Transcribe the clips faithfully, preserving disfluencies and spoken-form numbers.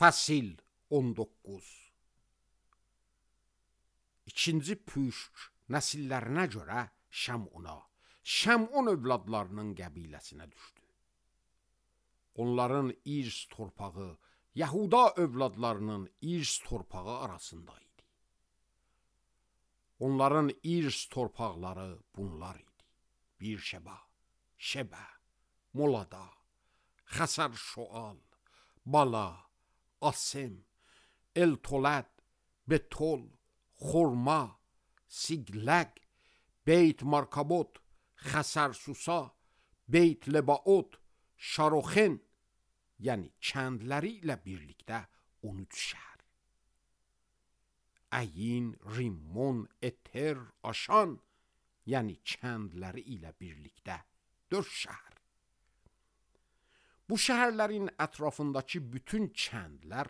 Fəsil on doqquz. İkinci püşk nəsillərinə görə Şəmuna, Şəmun övladlarının qəbiləsinə düşdü. Onların irs torpağı Yahuda övladlarının irs torpağı arasında idi. Onların irs torpaqları bunlar idi: Birşeba, Şebə, Molada, Xəsər Şoal, Bala, Asem, El-Tolad, Betol, Xorma, Sigləq, Beyt Markabot, Xəsər Susa, Beyt Lebaot, Şaroxen, yəni kəndləri ilə birlikdə on üç şəhər. Əyin, Rimmon, Eter, Aşan, yəni kəndləri ilə birlikdə dörd şəhər. Bu şəhərlərin ətrafındakı bütün kəndlər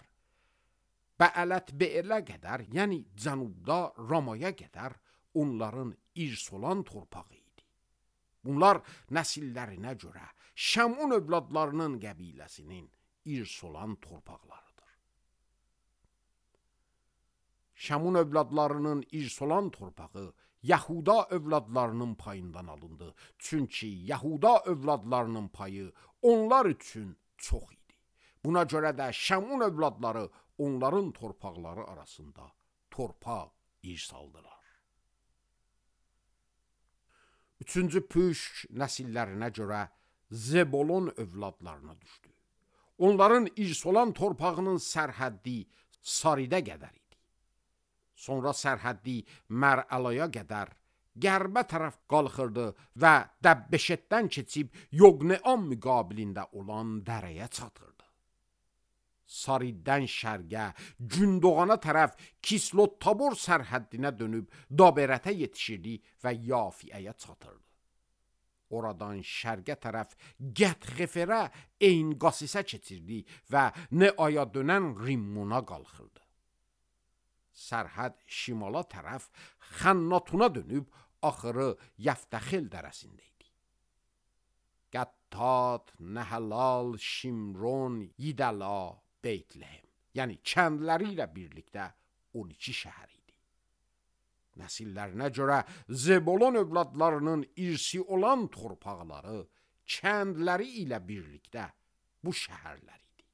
Bəələt Beelə qədər, yəni cənubda Ramaya qədər onların irs olan torpağı idi. Bunlar nəsillərinə görə Şəmun övladlarının qəbiləsinin irs olan torpaqlarıdır. Şəmun övladlarının irs olan torpağı Yahuda övladlarının payından alındı. Çünki Yahuda övladlarının payı onlar üçün çox idi. Buna görə də Şəmun övladları onların torpaqları arasında torpaq irs aldılar. Üçüncü püşk nəsillərinə görə Zebolon övladlarına düşdü. Onların irs olan torpağının sərhəddi Saridə qədər idi. Sonra sərhəddi Mər-Əlaya qədər qərbə tərəf qalxırdı və Dəbbeşetdən keçib Yoqneam müqabilində olan dərəyə çatırdı. Sariddən şərqə, Gündoğana tərəf Kislot Tabor sərhəddinə dönüb Daberətə yetişirdi və Yafiəyə çatırdı. Oradan şərqə tərəf Gət-Xeferə, Eyn-Qasisə keçirdi və Neaya dönən Rimmona qalxırdı. Sərhəd şimala tərəf Xənnatuna dönüb axırı Yəftəxil dərəsində idi. Qəttat, Nəhəlal, Şimron, Yidəla, Beytləhem, yəni kəndləri ilə birlikdə on iki şəhər idi. Nəsillərinə görə Zebolon övladlarının irsi olan torpaqları kəndləri ilə birlikdə bu şəhərlər idi.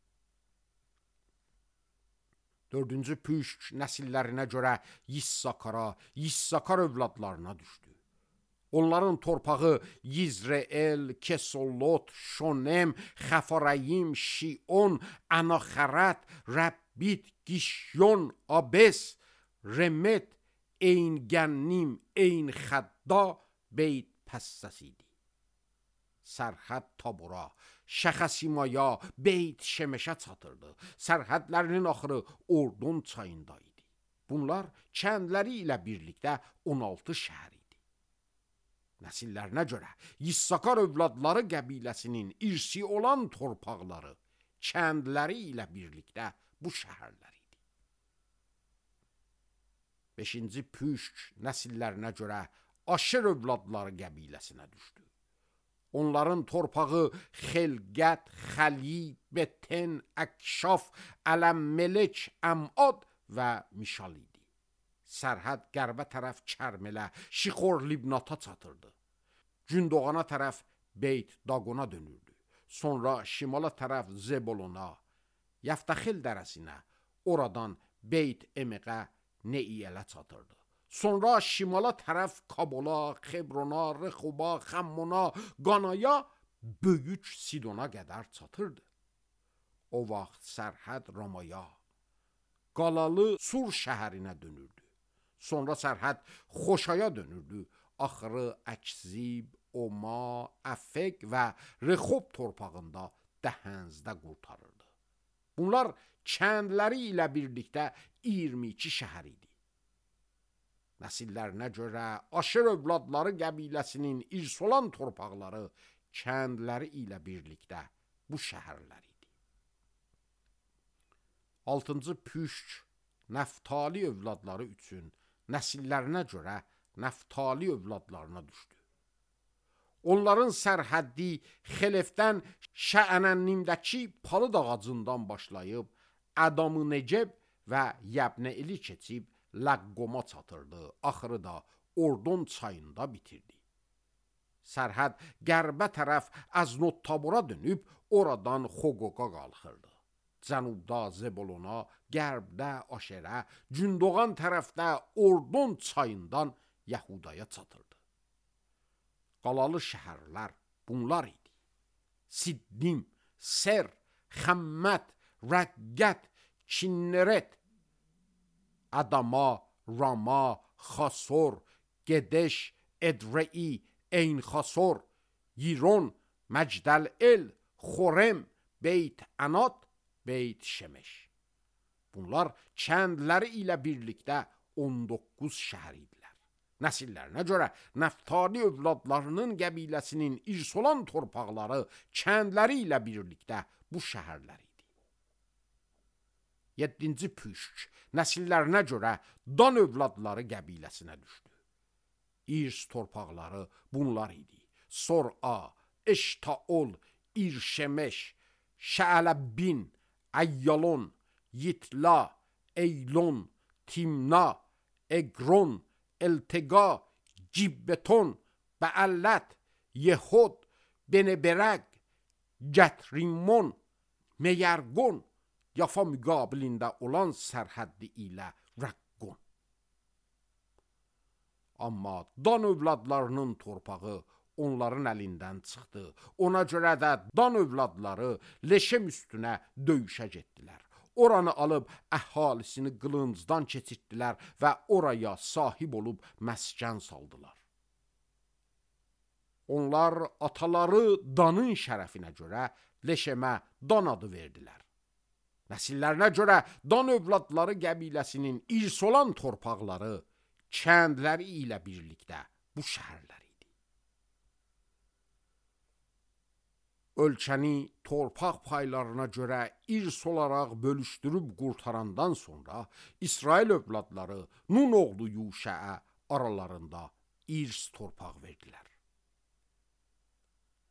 Dördüncü püşk nəsillərinə görə Yissakara, Yissakar övladlarına düşdü. Onların torpağı Yizreel, Kesolot, Şonem, Xəfarəyim, Şion, Anaxərət, Rəbbit, Gişyon, Abes, Remet, Eyn-Gənnim, Eyn-Xədda, Beyt Pəssəs idi. Sərhəd Tabora, Şəxəsimaya, Beyt Şemeşə çatırdı. Sərhədlərinin axırı Ordon çayında idi. Bunlar kəndləri ilə birlikdə on altı şəhər idi. Nəsillərinə görə Yissakar övladları qəbiləsinin irsi olan torpaqları kəndləri ilə birlikdə bu şəhərlər idi. Beşinci püşk nəsillərinə görə Aşır övladları qəbiləsinə düşdü. Onların torpağı Xelqət, Xəli, Beten, Əkşaf, Ələm-Melek, Əmad və Mişal idi. Sərhəd qərbə tərəf Kərmələ, Şixor Libnata çatırdı. Gündoğana tərəf Beyt Daqona dönürdü. Sonra şimala tərəf Zebolona, Yəftəxil dərəsinə, oradan Beyt Emeqə, Neiyələ çatırdı. Sonra şimala tərəf Kabola, Xebrona, Rexoba, Xəmmona, Qanaya, Böyük Sidona qədər çatırdı. O vaxt sərhəd Ramaya, Qalalı Sur şəhərinə dönürdü. Sonra sərhəd Xoşaya dönürdü. Axırı Əkzib, Oma, Əfək və Rexob torpağında Dəhənzdə qurtarırdı. Bunlar kəndləri ilə birlikdə iyirmi iki şəhər idi. Nəsillərinə görə Aşır övladları qəbiləsinin irs olan torpaqları kəndləri ilə birlikdə bu şəhərlər idi. Altıncı püşk Nəftali övladları üçün nəsillərinə görə Nəftali övladlarına düşdü. Onların sərhəddi Xelefdən Şəənənnimdəki palıd ağacından başlayıb Ədam-ı Neceb və Yəbnə ili keçib Ləqqoma çatırdı. Axırı da Ordon çayında bitirdi. Sərhəd qərbə tərəf Əznot-Tabora dönüb oradan Xoqoqa qalxırdı. Cənubda Zebolona, qərbdə Aşerə, Gündoğan tərəfdə Ordon çayından Yəhudaya çatırdı. Qalalı şəhərlər bunlar idi. Siddim, Ser, Xəmmət, Rəqqət, Kinneret, Ədama, Rama, Xasor, Gedeş, Edrei, Eynxasor, Yiron, Məcdəl-El, Xorem, Beyt Ənat, Beyt Şemeş. Bunlar kəndləri ilə birlikdə on doqquz şəhər idilər. Nəsillərinə görə Nəftali övladlarının qəbiləsinin irs olan torpaqları kəndləri ilə birlikdə bu şəhərlər idi. Yeddinci Püşk nəsillərinə görə Dan övladları qəbiləsinə düşdü. İrs torpaqları bunlar idi. Sor-a, Eştaol, İrşemeş, Şəələbbin, Əyyalon, Yitla, Eylon, Timna, Eqron, Eltega, Cibbeton, Bəəllət, Yehod, Beneberəq, Gətrimon, Meyərqon, Yafa müqabilində olan sərhəddi ilə Rəqqon. Amma Dan övladlarının torpağı onların əlindən çıxdı. Ona görə də Dan övladları Leşem üstünə döyüşə getdilər. Oranı alıb əhalisini qılıncdan keçirtdilər və oraya sahib olub məskən saldılar. Onlar ataları Danın şərəfinə görə Leşemə Dan adı verdilər. Nəsillərinə görə Dan övladları qəbiləsinin irs olan torpaqları kəndləri ilə birlikdə bu şəhərlər idi. Ölkəni torpaq paylarına görə irs olaraq bölüşdürüb qurtarandan sonra İsrail övladları Nun oğlu Yuşəə aralarında irs torpaq verdilər.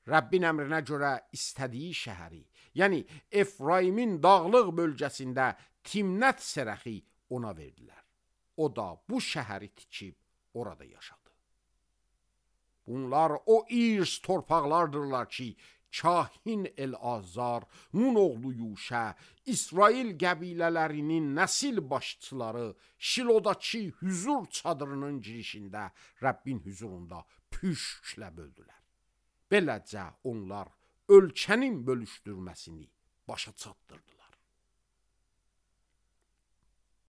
Rəbbin əmrinə görə istədiyi şəhəri, yəni Efraimin dağlıq bölgəsində Timnət Serəxi ona verdilər. O da bu şəhəri tikib orada yaşadı. Bunlar o irs torpaqlardırlar ki, Kahin El-Azar, Nun oğlu Yuşə, İsrail qəbilələrinin nəsil başçıları Şilodakı hüzur çadırının girişində Rəbbin hüzurunda püşklə böldülər. Beləcə onlar ölkənin bölüşdürməsini başa çatdırdılar.